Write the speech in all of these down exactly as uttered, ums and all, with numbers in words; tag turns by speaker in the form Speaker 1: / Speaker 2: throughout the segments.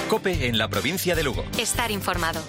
Speaker 1: COPE en la provincia de Lugo.
Speaker 2: Estar informado.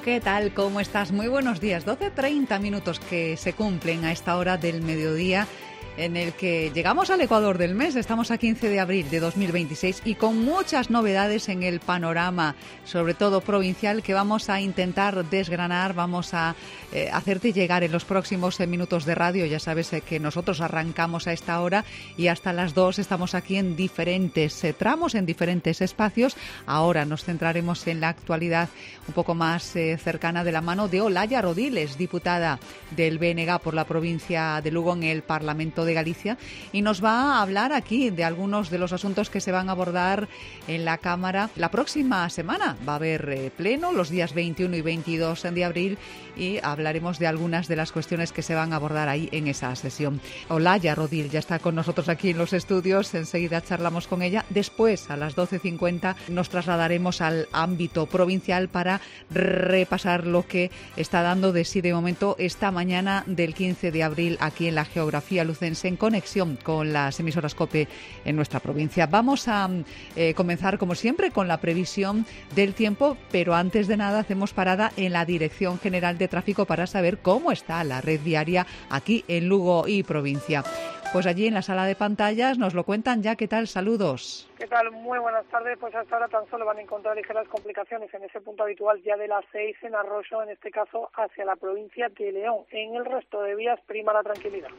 Speaker 3: ¿Qué tal? ¿Cómo estás? Muy buenos días. doce treinta minutos que se cumplen a esta hora del mediodía, en el que llegamos al Ecuador del mes. Estamos a quince de abril de dos mil veintiséis y con muchas novedades en el panorama, sobre todo provincial, que vamos a intentar desgranar, vamos a eh, hacerte llegar en los próximos eh, minutos de radio. Ya sabes eh, que nosotros arrancamos a esta hora y hasta las dos estamos aquí en diferentes eh, tramos, en diferentes espacios. Ahora nos centraremos en la actualidad un poco más eh, cercana, de la mano de Olaya Rodiles, diputada del B N G por la provincia de Lugo en el Parlamento de Galicia, y nos va a hablar aquí de algunos de los asuntos que se van a abordar en la Cámara la próxima semana. Va a haber eh, pleno los días veintiuno y veintidós de abril y hablaremos de algunas de las cuestiones que se van a abordar ahí en esa sesión. Olaya Rodil ya está con nosotros aquí en los estudios, enseguida charlamos con ella. Después, a las doce cincuenta, nos trasladaremos al ámbito provincial para repasar lo que está dando de sí de momento esta mañana del quince de abril aquí en la geografía lucense, en conexión con las emisoras COPE en nuestra provincia. Vamos a eh, comenzar, como siempre, con la previsión del tiempo, pero antes de nada hacemos parada en la Dirección General de Tráfico para saber cómo está la red viaria aquí en Lugo y provincia. Pues allí en la sala de pantallas nos lo cuentan ya. ¿Qué tal? Saludos.
Speaker 4: ¿Qué tal? Muy buenas tardes. Pues hasta ahora tan solo van a encontrar ligeras complicaciones en ese punto habitual ya de las seis en Arroyo, en este caso hacia la provincia de León. En el resto de vías prima la tranquilidad.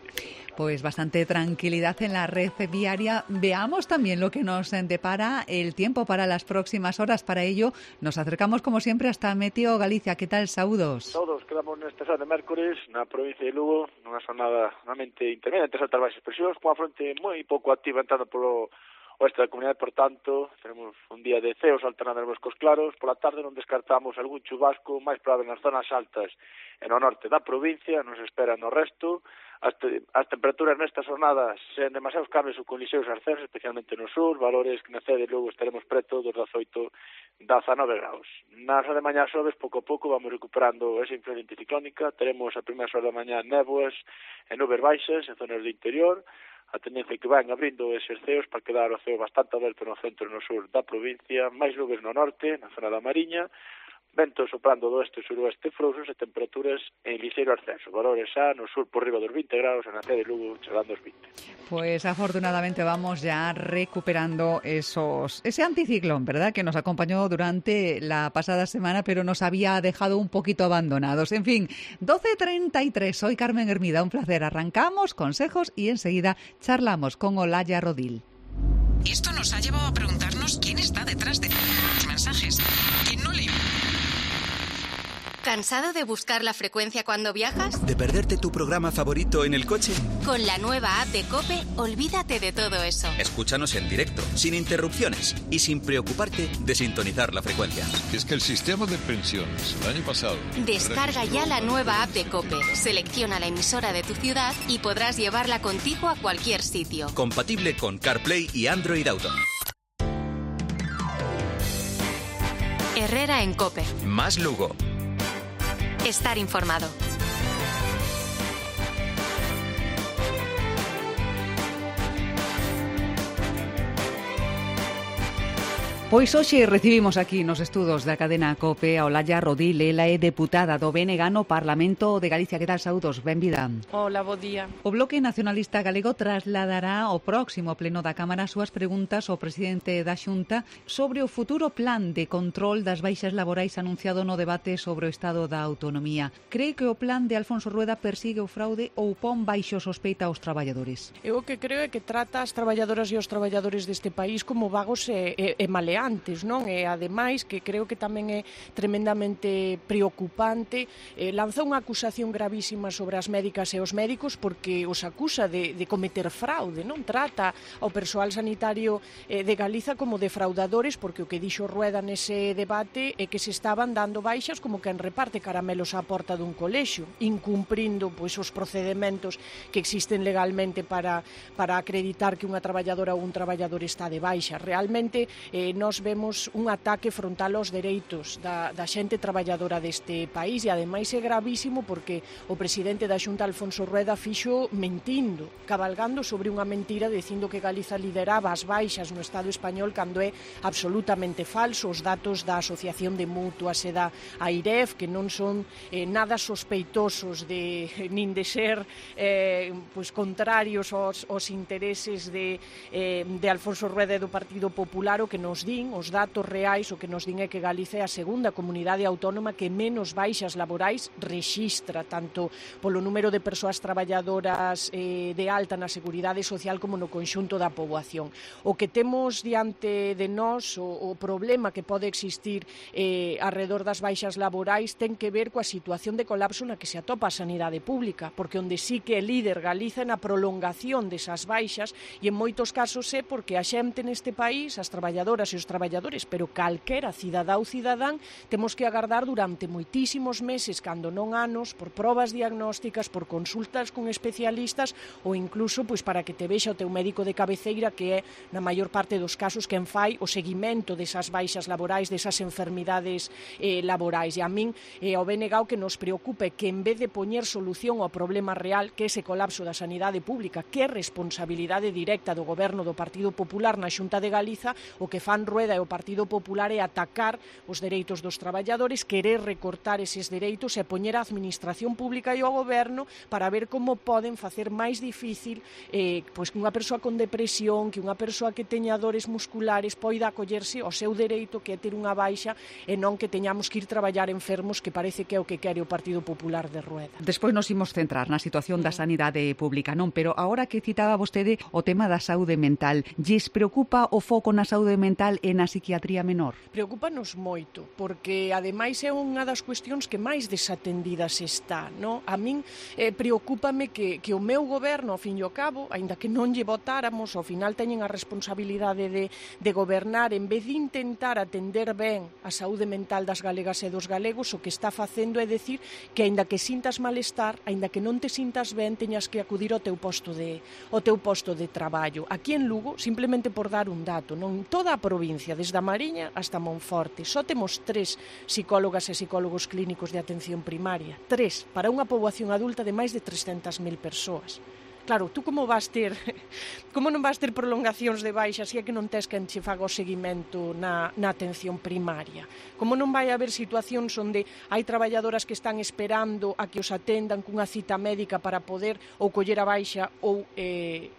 Speaker 3: Pues bastante tranquilidad en la red viaria. Veamos también lo que nos depara el tiempo para las próximas horas. Para ello nos acercamos como siempre hasta Meteo Galicia. ¿Qué tal? Saúdos.
Speaker 5: Todos quedamos neste sábado de mércores na provincia de Lugo, nunha xornada realmente intermedia entre altas baixas presións, cunha fronte moi pouco activa entrando polo oeste da comunidade. Por tanto, tenemos un día de ceos alternando en boscos claros. Pola tarde non descartamos algún chubasco máis probable nas zonas altas e no norte da provincia, nos espera no resto. As, te, as temperaturas nestas jornadas sen demasiados cambios ou con lixeiros ascensos, especialmente no sur, valores que na cede logo estaremos preto dos dezaoito, dezanove graus. Nas horas de mañá xoves, pouco a pouco vamos recuperando esa influencia anticiclónica. Teremos a primeira hora da mañá néboas e nubes baixas en zonas do interior. A tendencia que van abrindo eses ceos para quedar o ceo bastante aberto no centro e no sur da provincia, máis nubes no norte, na zona da Mariña, ventos soprando do oeste e suroeste frouxos e temperaturas en lixeiro ascenso. Valores xa no sur por riba dos vinte graus, en a cede de Lugo chegando aos vinte.
Speaker 3: Pues afortunadamente vamos ya recuperando esos ese anticiclón, ¿verdad?, que nos acompañó durante la pasada semana, pero nos había dejado un poquito abandonados. En fin, doce treinta y tres, soy Carmen Hermida, un placer. Arrancamos consejos y enseguida charlamos con Olaya Rodil.
Speaker 6: Esto nos ha llevado a preguntarnos quién está detrás de los mensajes. ¿Quién no le...
Speaker 2: ¿Cansado de buscar la frecuencia cuando viajas?
Speaker 7: ¿De perderte tu programa favorito en el coche?
Speaker 2: Con la nueva app de COPE, olvídate de todo eso.
Speaker 7: Escúchanos en directo, sin interrupciones y sin preocuparte de sintonizar la frecuencia.
Speaker 8: Es que el sistema de pensiones el año pasado...
Speaker 2: Descarga ya la nueva app de COPE, selecciona la emisora de tu ciudad y podrás llevarla contigo a cualquier sitio.
Speaker 7: Compatible con CarPlay y Android Auto.
Speaker 2: Herrera en COPE.
Speaker 1: Más Lugo.
Speaker 2: Estar informado.
Speaker 3: Pois hoxe recibimos aquí nos estudos da cadena COPE a Olaya Rodil. Ela é deputada do B N G no Parlamento de Galicia. Que tal? Saúdos, benvida.
Speaker 9: Hola, bo día.
Speaker 3: O Bloque Nacionalista Galego trasladará ao próximo pleno da Cámara as súas preguntas ao presidente da Xunta sobre o futuro plan de control das baixas laborais anunciado no debate sobre o estado da autonomía. Cree que o plan de Alfonso Rueda persigue o fraude ou pon baixo sospeita aos traballadores?
Speaker 9: Eu o que creo é que trata as traballadoras e os traballadores deste país como vagos e, e, e maleantes. Non? E ademais, que creo que tamén é tremendamente preocupante, eh, lanzou unha acusación gravísima sobre as médicas e os médicos porque os acusa de, de cometer fraude, non? Trata ao persoal sanitario eh, de Galiza como defraudadores, porque o que dixo Rueda nese debate é que se estaban dando baixas como quen reparte caramelos á porta dun colexio, incumprindo pois, os procedementos que existen legalmente para, para acreditar que unha traballadora ou un traballador está de baixa. Realmente, eh, nós nós vemos un ataque frontal aos dereitos da, da xente traballadora deste país, e ademais é gravísimo porque o presidente da Xunta, Alfonso Rueda, fixo mentindo, cabalgando sobre unha mentira, dicindo que Galiza lideraba as baixas no Estado español, cando é absolutamente falso. Os datos da Asociación de Mutuas e da AIREF, que non son eh, nada sospeitosos de, nin de ser eh, pues, contrarios aos, aos intereses de, eh, de Alfonso Rueda e do Partido Popular, o que nos din, os datos reais, o que nos din é que Galiza é a segunda comunidade autónoma que menos baixas laborais rexistra, tanto polo número de persoas traballadoras eh, de alta na Seguridade Social como no conxunto da poboación. O que temos diante de nós, o, o problema que pode existir eh, alrededor das baixas laborais, ten que ver coa situación de colapso na que se atopa a sanidade pública, porque onde sí que é líder Galiza na prolongación desas baixas, e en moitos casos é porque a xente neste país, as traballadoras e os traballadores, pero calquera cidadá ou cidadán, temos que agardar durante moitísimos meses, cando non anos, por probas diagnósticas, por consultas con especialistas, ou incluso pois, para que te vexa o teu médico de cabeceira, que é, na maior parte dos casos, quen fai o seguimento desas baixas laborais, desas enfermidades eh, laborais. E a min é o ben negado que nos preocupe que, en vez de poñer solución ao problema real, que é ese colapso da sanidade pública, que é responsabilidade directa do goberno do Partido Popular na Xunta de Galiza, o que fan Rueda e o Partido Popular é atacar os dereitos dos traballadores, querer recortar eses dereitos e poñer a administración pública e o goberno para ver como poden facer máis difícil eh, pois que unha persoa con depresión, que unha persoa que teña dores musculares poida acollerse ao seu dereito, que é ter unha baixa, e non que teñamos que ir traballar enfermos, que parece que é o que quere o Partido Popular de Rueda.
Speaker 3: Despois nos imos centrar na situación da sanidade pública, non? Pero agora que citaba vostede o tema da saúde mental, lles preocupa o foco na saúde mental e na psiquiatría menor?
Speaker 9: Preocúpanos moito, porque ademais é unha das cuestións que máis desatendidas está, non? A min eh, preocúpame que, que o meu goberno, ao fin e ao cabo, aínda que non lle votáramos, ao final teñen a responsabilidade de, de gobernar, en vez de intentar atender ben a saúde mental das galegas e dos galegos, o que está facendo é decir que aínda que sintas malestar, aínda que non te sintas ben, teñas que acudir ao teu posto de, ao teu posto de traballo. Aquí en Lugo, simplemente por dar un dato, non toda a provincia, desde a Mariña hasta Monforte, só temos tres psicólogas e psicólogos clínicos de atención primaria, tres, para unha poboación adulta de máis de trescentas mil persoas. Claro, tú como vas ter, como non vas ter prolongacións de baixa se é que non tes quen che faga o seguimento na, na atención primaria? Como non vai haber situacións onde hai traballadoras que están esperando a que os atendan cunha cita médica para poder ou coller a baixa ou eh,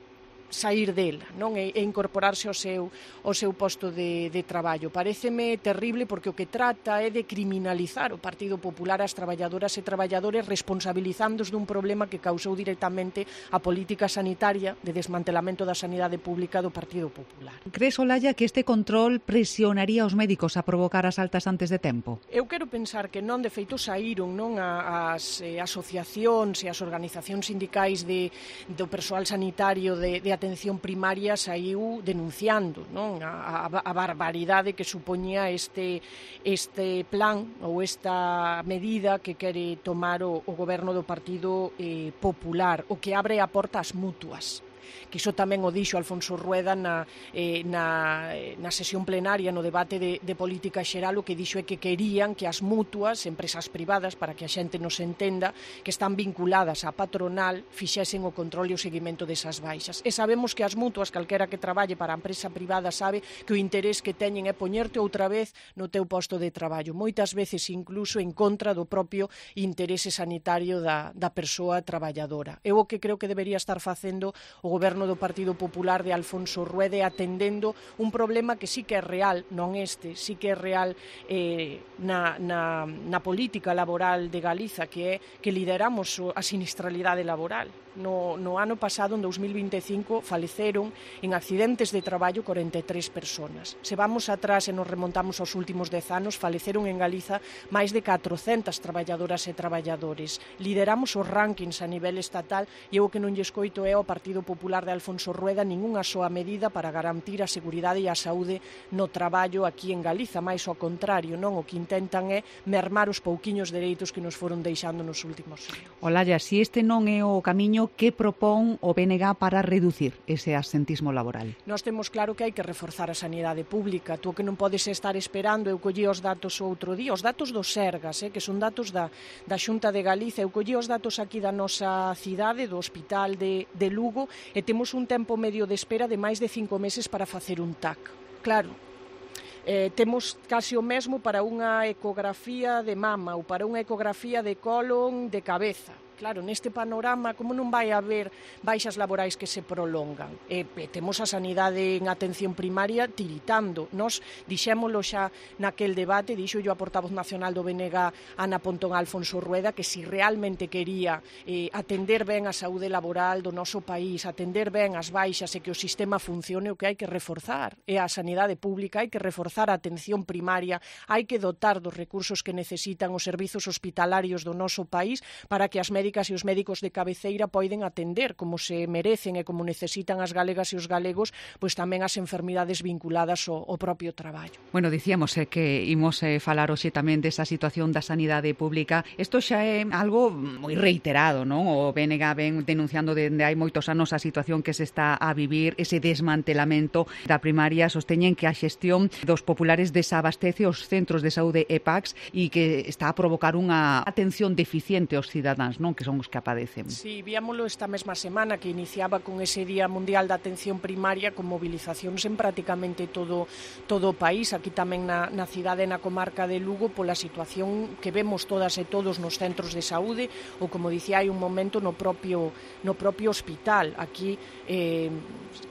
Speaker 9: sair dela, non? E, e incorporarse ao seu, ao seu posto de, de traballo. Paréceme terrible porque o que trata é de criminalizar o Partido Popular ás traballadoras e traballadores, responsabilizándos dun problema que causou directamente a política sanitaria de desmantelamento da sanidade pública do Partido Popular.
Speaker 3: Crees, Olalla, que este control presionaría os médicos a provocar as altas antes de tempo?
Speaker 9: Eu quero pensar que non, de feito saíron non as eh, asociacións e as organizacións sindicais de, do persoal sanitario de, de atención primaria saiu denunciando, non, a, a, a barbaridade que supoñía este, este plan ou esta medida que quere tomar o, o goberno do Partido eh, Popular, o que abre a porta ás mutuas. Que iso tamén o dixo Alfonso Rueda na, eh, na, na sesión plenaria, no debate de, de política xeral. O que dixo é que querían que as mutuas, empresas privadas, para que a xente nos entenda, que están vinculadas á patronal, fixesen o control e o seguimento desas baixas. E sabemos que as mutuas, calquera que traballe para a empresa privada, sabe que o interés que teñen é poñerte outra vez no teu posto de traballo, moitas veces incluso en contra do propio interese sanitario da, da persoa traballadora. Eu o que creo que debería estar facendo o goberno do Partido Popular de Alfonso Rueda, atendendo un problema que sí que é real, non este, sí que é real eh, na, na, na política laboral de Galiza, que é que lideramos a sinistralidade laboral. No, no ano pasado, en dos mil vinte e cinco, faleceron en accidentes de traballo corenta e tres persoas. Se vamos atrás e nos remontamos aos últimos dez anos, faleceron en Galiza máis de catrocentas traballadoras e traballadores. Lideramos os rankings a nivel estatal e o que non lle escoito é ao Partido Popular Popular de Alfonso Rueda ningunha soa medida para garantir a seguridade e a saúde no traballo aquí en Galiza, máis ao contrario, non? O que intentan é mermar os pouquiños dereitos que nos foron deixando nos últimos anos.
Speaker 3: Olalla, si este non é o camiño, que propón o B N G para reducir ese absentismo laboral?
Speaker 9: Nós temos claro que hai que reforzar a sanidade pública. Tú que non podes estar esperando, eu collí os datos o outro día, os datos do Sergas, eh, que son datos da, da Xunta de Galiza, eu collí os datos aquí da nosa cidade, do Hospital de, de Lugo, e temos un tempo medio de espera de máis de cinco meses para facer un T A C. Claro, Eh, temos casi o mesmo para unha ecografía de mama ou para unha ecografía de colon de cabeza. Claro, neste panorama, como non vai haber baixas laborais que se prolongan? E, e temos a sanidade en atención primaria tiritando. Nos dixémolo xa naquel debate, dixo yo a portavoz nacional do B N G, Ana Pontón Alfonso Rueda, que si realmente quería eh, atender ben a saúde laboral do noso país, atender ben as baixas e que o sistema funcione, o que hai que reforzar é a sanidade pública, hai que reforzar a atención primaria, hai que dotar dos recursos que necesitan os servizos hospitalarios do noso país para que as médicas e os médicos de cabeceira poiden atender como se merecen e como necesitan as galegas e os galegos, pois tamén as enfermidades vinculadas ao, ao propio traballo.
Speaker 3: Bueno, dicíamos eh, que imos eh, falar hoxe tamén desa situación da sanidade pública. Isto xa é algo moi reiterado, non? O B N G ven denunciando dende hai moitos anos a situación que se está a vivir, ese desmantelamento da primaria. Sosteñen que a xestión dos populares desabastece os centros de saúde e P A Cs e que está a provocar unha atención deficiente aos cidadáns, non? Que son os que apadecen.
Speaker 9: Sí, víamolo esta mesma semana que iniciaba con ese Día Mundial da Atención Primaria con movilizacións en prácticamente todo todo o país, aquí tamén na, na cidade, na comarca de Lugo, pola situación que vemos todas e todos nos centros de saúde ou, como dicía hai un momento, no propio no propio hospital. Aquí, eh,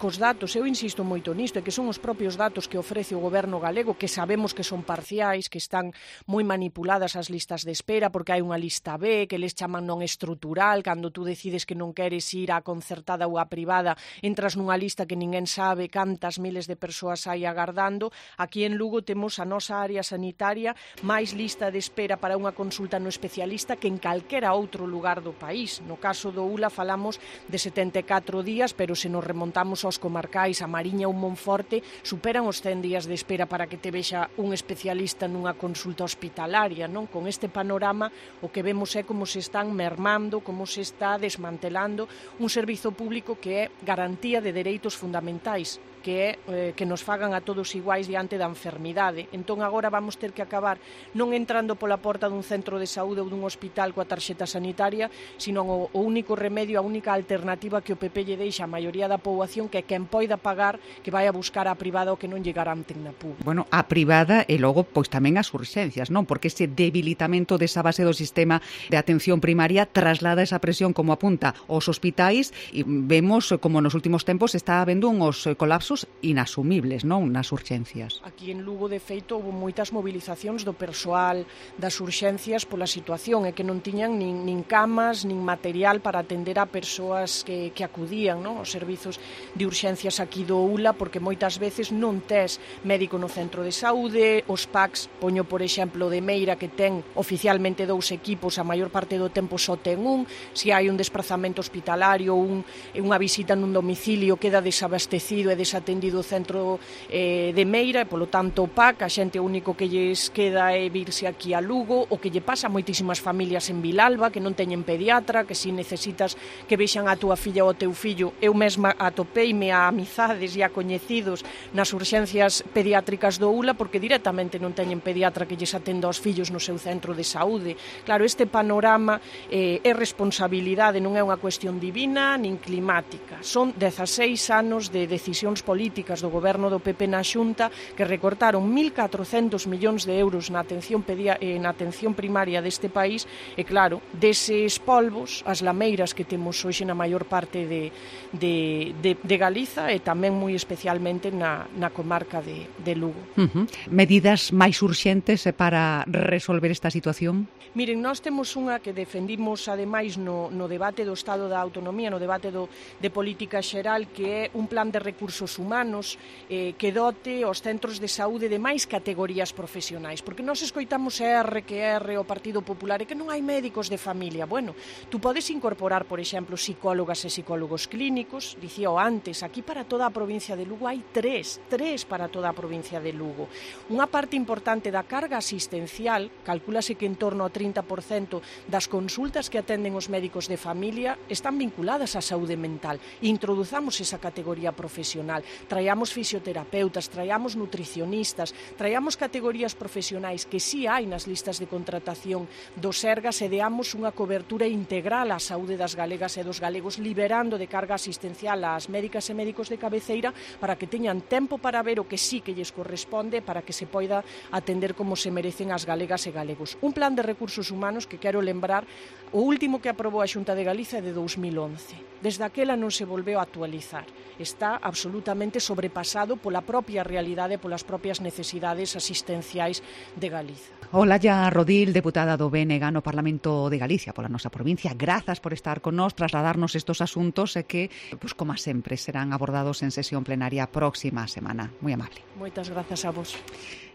Speaker 9: cos datos, eu insisto moito nisto, é que son os propios datos que ofrece o goberno galego, que sabemos que son parciais, que están moi manipuladas as listas de espera, porque hai unha lista B, que les chaman non estrutural, cando tú decides que non queres ir á concertada ou á privada, entras nunha lista que ninguén sabe cantas miles de persoas hai agardando. Aquí en Lugo temos a nosa área sanitaria máis lista de espera para unha consulta no especialista que en calquera outro lugar do país. No caso do U L A falamos de setenta e catro días, pero se nos remontamos aos comarcais, a Mariña ou Monforte, superan os cen días de espera para que te vexa un especialista nunha consulta hospitalaria, non? Con este panorama o que vemos é como se están mermando, como se está desmantelando un servizo público que é garantía de dereitos fundamentais, que é eh, que nos fagan a todos iguais diante da enfermidade. Entón agora vamos ter que acabar non entrando pola porta dun centro de saúde ou dun hospital coa tarxeta sanitaria, sino o, o único remedio, a única alternativa que o P P lle deixa a maioría da poboación, que é quen poida pagar, que vai a buscar a privada o que non lle garanten na pública.
Speaker 3: Bueno, a privada e logo pois tamén as urxencias, non? Porque ese debilitamento desa base do sistema de atención primaria traslada esa presión, como apunta, aos hospitais, e vemos como nos últimos tempos está habendo uns colapsos inasumibles, non, nas urxencias.
Speaker 9: Aquí en Lugo, de feito, houve moitas movilizacións do persoal das urxencias pola situación, e que non tiñan nin, nin camas, nin material para atender a persoas que, que acudían, non, aos servizos de urxencias aquí do U L A, porque moitas veces non tes médico no centro de saúde, os P A Cs, poño por exemplo de Meira, que ten oficialmente dous equipos, a maior parte do tempo só ten un, se hai un desprazamento hospitalario, un, unha visita nun domicilio, queda desabastecido e desatendido atendido o centro eh, de Meira, e polo tanto o P A C, a xente o único que lles queda é virse aquí a Lugo, o que lle pasa a moitísimas familias en Vilalba que non teñen pediatra, que si necesitas que vexan a túa filla ou o teu fillo, eu mesma atopeime a amizades e a coñecidos nas urxencias pediátricas do U L A porque directamente non teñen pediatra que lles atenda aos fillos no seu centro de saúde. Claro, este panorama eh, é responsabilidade, non é unha cuestión divina nin climática. Son dezaseis anos de decisións políticas do goberno do P P na Xunta que recortaron mil catrocentos millóns de euros na atención, pedia, eh, na atención primaria deste país, e claro, deses polvos, as lameiras que temos hoxe na maior parte de, de, de, de Galiza e tamén moi especialmente na, na comarca de, de Lugo.
Speaker 3: Uh-huh. Medidas máis urxentes para resolver esta situación?
Speaker 9: Miren, nós temos unha que defendimos ademais no, no debate do Estado da Autonomía, no debate do, de política xeral, que é un plan de recursos Recursos Humanos eh, que dote os centros de saúde de máis categorías profesionais, porque nós escoitamos R que R o Partido Popular e que non hai médicos de familia. Bueno, tú podes incorporar, por exemplo, psicólogas e psicólogos clínicos, dicía o antes, aquí para toda a provincia de Lugo hai tres, tres para toda a provincia de Lugo. Unha parte importante da carga asistencial, calcúlase que en torno ao trinta por cento das consultas que atenden os médicos de familia están vinculadas á saúde mental. Introduzamos esa categoría profesional, traíamos fisioterapeutas, traíamos nutricionistas, traíamos categorías profesionais que sí hai nas listas de contratación do Sergas e deamos unha cobertura integral á saúde das galegas e dos galegos, liberando de carga asistencial ás médicas e médicos de cabeceira para que teñan tempo para ver o que sí que lles corresponde, para que se poida atender como se merecen as galegas e galegos. Un plan de recursos humanos que quero lembrar, o último que aprobou a Xunta de Galicia é de dous mil once. Desde aquela non se volveu a actualizar. Está absolutamente sobrepasado pola propia realidade, polas propias necesidades asistenciais de Galiza.
Speaker 3: Olalla Rodil, deputada do B N G no Parlamento de Galicia, pola nosa provincia. Grazas por estar con nós, trasladarnos estos asuntos e que, pues, como sempre, serán abordados en sesión plenaria próxima semana. Moi amable.
Speaker 9: Moitas grazas a vos.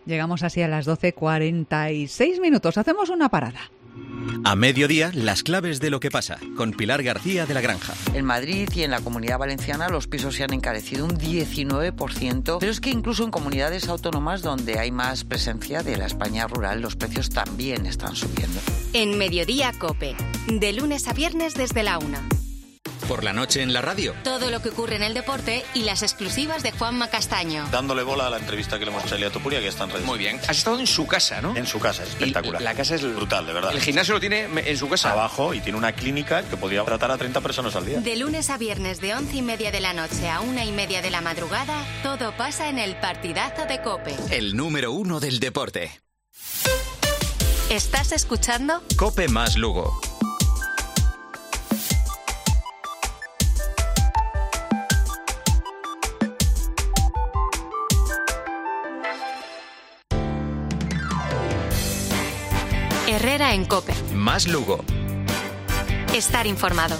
Speaker 3: Llegamos así a las doce cuarenta y seis minutos. Hacemos una parada.
Speaker 1: A mediodía, las claves de lo que pasa, con Pilar García de la Granja.
Speaker 10: En Madrid y en la Comunidad Valenciana los pisos se han encarecido un diecinueve por ciento, pero es que incluso en comunidades autónomas donde hay más presencia de la España rural, los precios también están subiendo.
Speaker 2: En Mediodía COPE, de lunes a viernes desde la una.
Speaker 1: Por la noche en la radio.
Speaker 2: Todo lo que ocurre en el deporte y las exclusivas de Juanma Castaño.
Speaker 11: Dándole bola a la entrevista que le hemos hecho a Elia Topuria, que está en redes.
Speaker 12: Muy bien. Has estado en su casa, ¿no?
Speaker 11: En su casa, es espectacular.
Speaker 12: Y la casa es
Speaker 11: brutal, de verdad.
Speaker 12: El gimnasio lo tiene en su casa.
Speaker 11: Abajo, y tiene una clínica que podría tratar a treinta personas al día.
Speaker 2: De lunes a viernes de once y media de la noche a una y media de la madrugada, todo pasa en el partidazo de COPE.
Speaker 1: El número uno del deporte.
Speaker 2: ¿Estás escuchando?
Speaker 1: COPE más Lugo.
Speaker 2: Herrera en COPE.
Speaker 1: Más Lugo.
Speaker 2: Estar informado.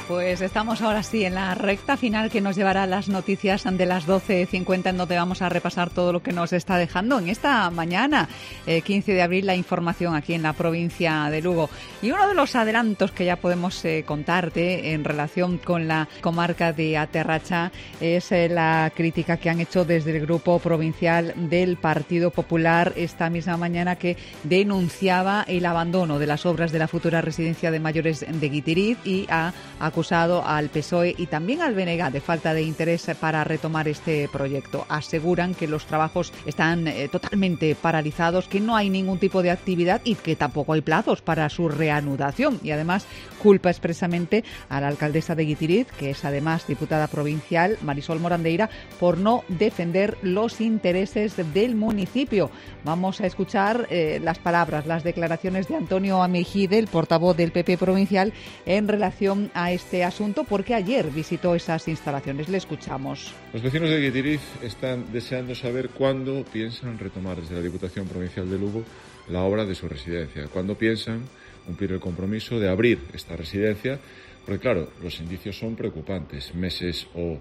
Speaker 3: Pues estamos ahora sí en la recta final que nos llevará a las noticias de las doce cincuenta, en donde vamos a repasar todo lo que nos está dejando en esta mañana, eh, quince de abril, la información aquí en la provincia de Lugo. Y uno de los adelantos que ya podemos eh, contarte en relación con la comarca de Aterracha es eh, la crítica que han hecho desde el Grupo Provincial del Partido Popular esta misma mañana, que denunciaba el abandono de las obras de la futura residencia de mayores de Guitiriz y ha acusado al P S O E y también al B N G de falta de interés para retomar este proyecto. Aseguran que los trabajos están eh, totalmente paralizados, que no hay ningún tipo de actividad y que tampoco hay plazos para su reanudación. Y además culpa expresamente a la alcaldesa de Guitiriz, que es además diputada provincial, Marisol Morandeira, por no defender los intereses del municipio. Vamos a escuchar eh, las palabras, las declaraciones de Antonio Amejide, el portavoz del P P provincial, en relación a este asunto, porque ayer visitó esas instalaciones. Le escuchamos.
Speaker 13: Los vecinos de Guitiriz están deseando saber cuándo piensan retomar desde la Diputación Provincial de Lugo la obra de su residencia, cuándo piensan cumplir el compromiso de abrir esta residencia, porque claro, los indicios son preocupantes, meses o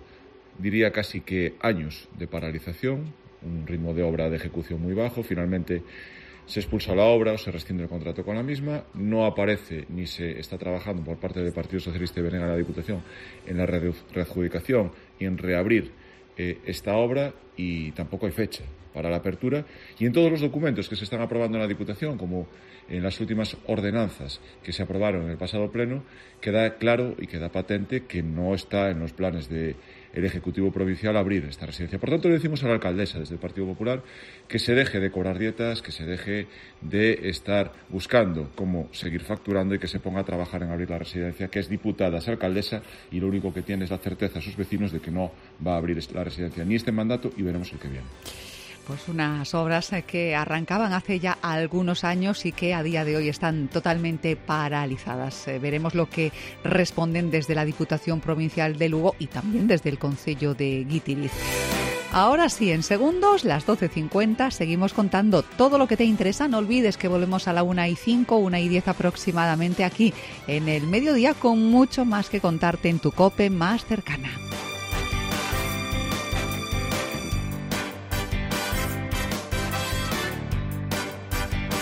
Speaker 13: diría casi que años de paralización, un ritmo de obra de ejecución muy bajo. Finalmente se expulsa la obra o se rescinde el contrato con la misma, no aparece ni se está trabajando por parte del Partido Socialista y B N G de la Diputación en la readjudicación y en reabrir eh, esta obra, y tampoco hay fecha para la apertura. Y en todos los documentos que se están aprobando en la Diputación, como en las últimas ordenanzas que se aprobaron en el pasado pleno, queda claro y queda patente que no está en los planes del Ejecutivo Provincial abrir esta residencia. Por tanto, le decimos a la alcaldesa desde el Partido Popular que se deje de cobrar dietas, que se deje de estar buscando cómo seguir facturando y que se ponga a trabajar en abrir la residencia, que es diputada, es alcaldesa, y lo único que tiene es la certeza a sus vecinos de que no va a abrir la residencia ni este mandato, y veremos el que viene.
Speaker 3: Pues unas obras que arrancaban hace ya algunos años y que a día de hoy están totalmente paralizadas. Eh, veremos lo que responden desde la Diputación Provincial de Lugo y también desde el Concello de Guitiriz. Ahora sí, en segundos, las doce cincuenta, seguimos contando todo lo que te interesa. No olvides que volvemos a la una y cinco, una y diez aproximadamente aquí en el mediodía con mucho más que contarte en tu COPE más cercana.